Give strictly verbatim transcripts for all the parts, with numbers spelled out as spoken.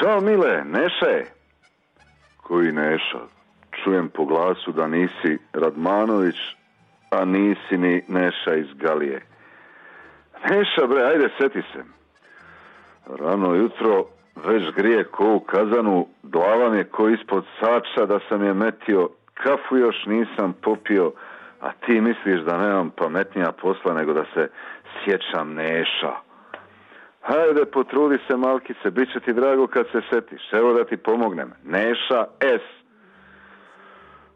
Ćao Mile, Neša je. Koji Neša? Čujem po glasu da nisi Radmanović, a nisi ni Neša iz Galije. Neša bre, ajde seti se. Rano jutro već grije ko u kazanu, glava mi je ko ispod sača da sam je metio, kafu još nisam popio, a ti misliš da nemam pametnija posla nego da se sjećam Neša. Hajde, potrudi se malkice, bit će ti drago kad se setiš. Evo da ti pomognem. Neša S.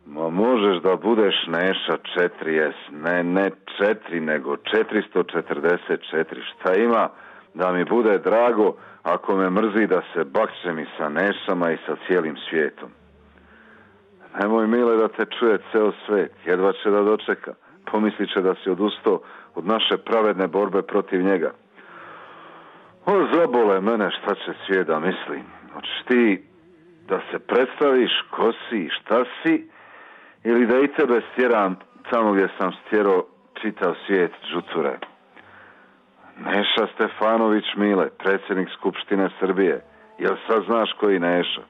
Ma možeš da budeš Neša četiri S. Ne, ne četiri, nego četiristo četrdeset četiri. Šta ima da mi bude drago ako me mrzi da se bakćem i sa Nešama i sa cijelim svijetom. Nemoj Mile da te čuje ceo svet. Jedva će da dočeka. Pomislit će da si odustao od naše pravedne borbe protiv njega. O, zabole mene šta će svijet da misli. Hoćeš ti da se predstaviš ko si i šta si, ili da i tebe stjeram tamo gdje sam stjerao čitav svijet džuture. Neša Stefanović Mile, predsjednik Skupštine Srbije. Jel sad znaš koji Neša?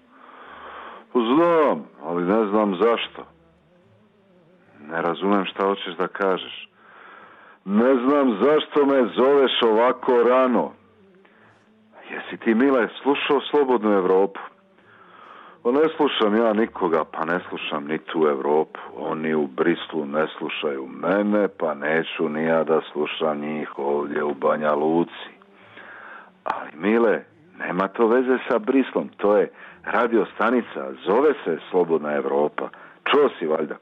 Znam, ali ne znam zašto. Ne razumem šta hoćeš da kažeš. Ne znam zašto me zoveš ovako rano. Jesi ti, Mile, slušao Slobodnu Evropu? O, ne slušam ja nikoga, pa ne slušam ni tu Evropu. Oni u Brislu ne slušaju mene, pa neću ni ja da slušam njih ovdje u Banja Luci. Ali, Mile, nema to veze sa Brislom, to je radio stanica, zove se Slobodna Evropa. Čuo si valjda?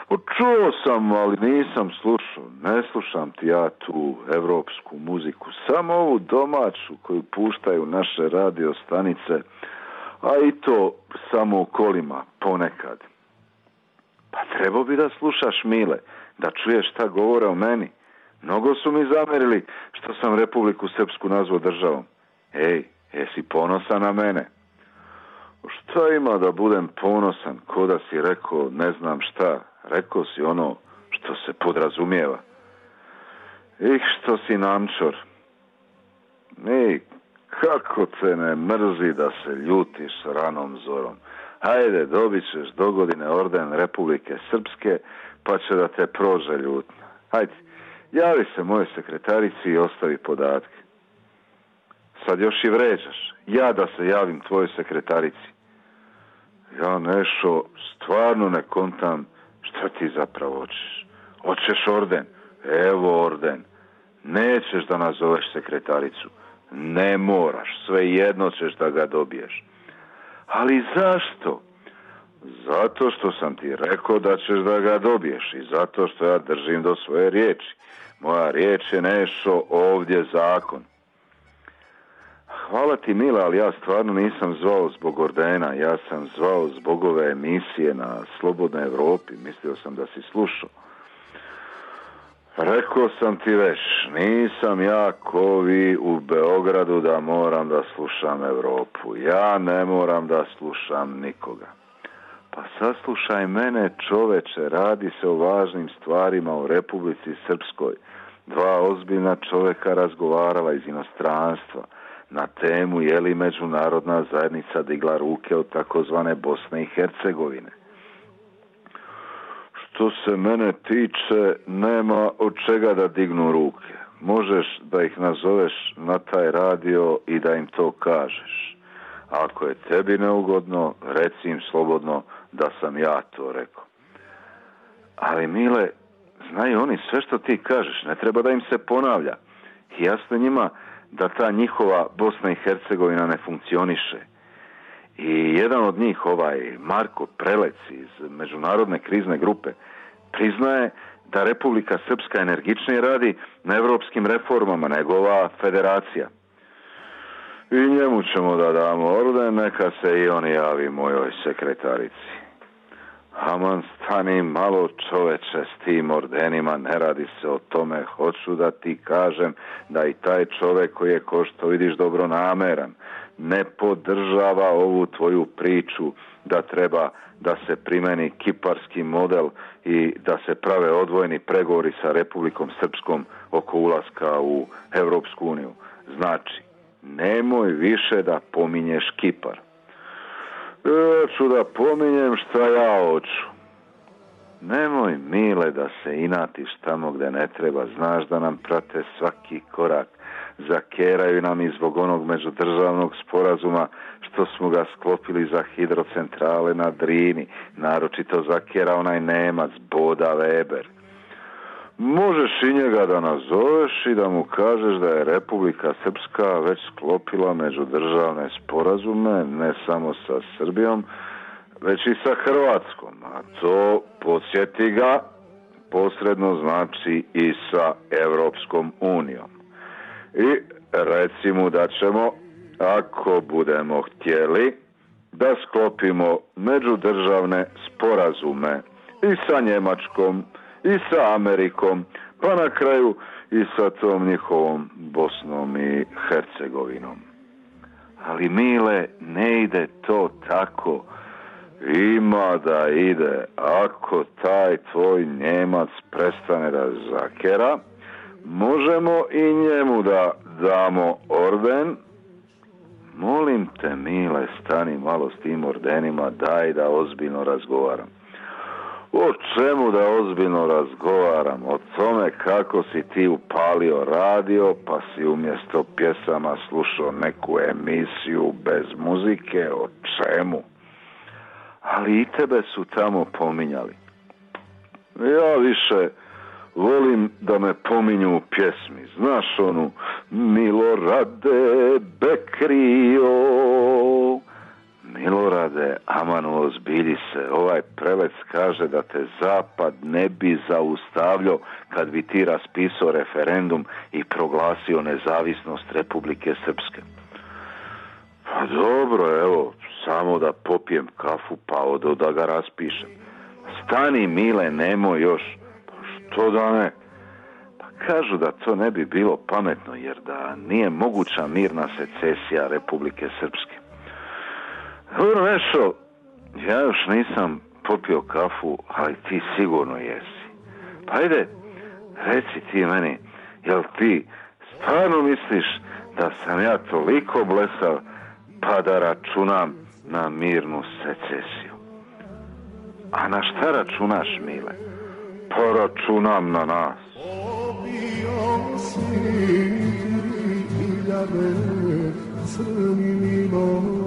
Čuo sam, ali nisam slušao. Ne slušam ti ja tu evropsku muziku, samo ovu domaću koju puštaju naše radio stanice, a i to samo u kolima ponekad. Pa trebao bi da slušaš, Mile, da čuješ šta govore o meni. Mnogo su mi zamerili što sam Republiku Srpsku nazvao državom. Ej, jesi ponosan na mene? Šta ima da budem ponosan, ko da si rekao ne znam šta? Rekao si ono što se podrazumijeva. Ih, što si namčor. Ej, kako te ne mrzi da se ljutiš ranom zorom. Hajde, dobit ćeš do godine orden Republike Srpske, pa će da te prože ljutnja. Hajde, javi se moje sekretarici i ostavi podatke. Sad još i vređaš. Ja da se javim tvojoj sekretarici. Ja Nešo, stvarno ne kontam šta ti zapravo hoćeš. Hoćeš orden? Evo orden. Nećeš da nazoveš sekretaricu. Ne moraš, svejedno ćeš da ga dobiješ. Ali zašto? Zato što sam ti rekao da ćeš da ga dobiješ i zato što ja držim do svoje riječi. Moja riječ je Nešo ovdje zakon. Hvala ti, Mila, ali ja stvarno nisam zvao zbog ordena, ja sam zvao zbog ove emisije na Slobodnoj Evropi, mislio sam da si slušao. Rekao sam ti već, nisam ja ko vi u Beogradu da moram da slušam Evropu, ja ne moram da slušam nikoga. Pa saslušaj mene, čoveče, radi se o važnim stvarima u Republici Srpskoj. Dva ozbiljna čoveka razgovarala iz inostranstva na temu je li međunarodna zajednica digla ruke od takozvane Bosne i Hercegovine. Što se mene tiče, nema od čega da dignu ruke. Možeš da ih nazoveš na taj radio i da im to kažeš. Ako je tebi neugodno, reci im slobodno da sam ja to rekao. Ali, Mile, znaju oni sve što ti kažeš, ne treba da im se ponavlja. Jasno njima da ta njihova Bosna i Hercegovina ne funkcioniše. I jedan od njih, ovaj Marko Prelec iz Međunarodne krizne grupe, priznaje da Republika Srpska energičnije radi na evropskim reformama nego ova federacija. I njemu ćemo da damo orden, neka se i on javi mojoj sekretarici. Aman, stani malo, čoveče, s tim ordenima, ne radi se o tome. Hoću da ti kažem da i taj čovek koji je, ko što vidiš, dobronameran, ne podržava ovu tvoju priču da treba da se primeni kiparski model i da se prave odvojeni pregovori sa Republikom Srpskom oko ulaska u Evropsku uniju. Znači, nemoj više da pominješ Kipar. Ja ću da pominjem šta ja hoću. Nemoj, Mile, da se inatiš tamo gde ne treba. Znaš da nam prate svaki korak. Zakeraju nam i zbog onog međudržavnog sporazuma što smo ga sklopili za hidrocentrale na Drini. Naročito zakera onaj Nemac, Boda Weber. Možeš i njega da nazoveš i da mu kažeš da je Republika Srpska već sklopila međudržavne sporazume, ne samo sa Srbijom, već i sa Hrvatskom. A to, podsjeti ga, posredno znači i sa Evropskom unijom. I reci mu da ćemo, ako budemo htjeli, da sklopimo međudržavne sporazume i sa Njemačkom, i sa Amerikom, pa na kraju i sa tom njihovom Bosnom i Hercegovinom. Ali, Mile, ne ide to tako. Ima da ide. Ako taj tvoj Njemac prestane da zakera, možemo i njemu da damo orden. Molim te, Mile, stani malo s tim ordenima, daj da ozbiljno razgovaram. O čemu da ozbiljno razgovaram? O tome kako si ti upalio radio, pa si umjesto pjesama slušao neku emisiju bez muzike, o čemu? Ali i tebe su tamo pominjali. Ja više volim da me pominju u pjesmi. Znaš onu Milorade Bekrio, Milorade, aman ozbilji se. Ovaj prelec kaže da te Zapad ne bi zaustavljao kad bi ti raspisao referendum i proglasio nezavisnost Republike Srpske. Pa dobro, evo, samo da popijem kafu pa odo da ga raspišem. Stani, Mile, nemoj još. Pa što da ne? Pa kažu da to ne bi bilo pametno, jer da nije moguća mirna secesija Republike Srpske. Dobro, Nešo, ja još nisam popio kafu, ali ti sigurno jesi. Pa ajde, reci ti meni, jel ti stvarno misliš da sam ja toliko blesav pa da računam na mirnu secesiju? A na šta računaš, Mile? Pa računam na nas. Obio si hiljade crni milom,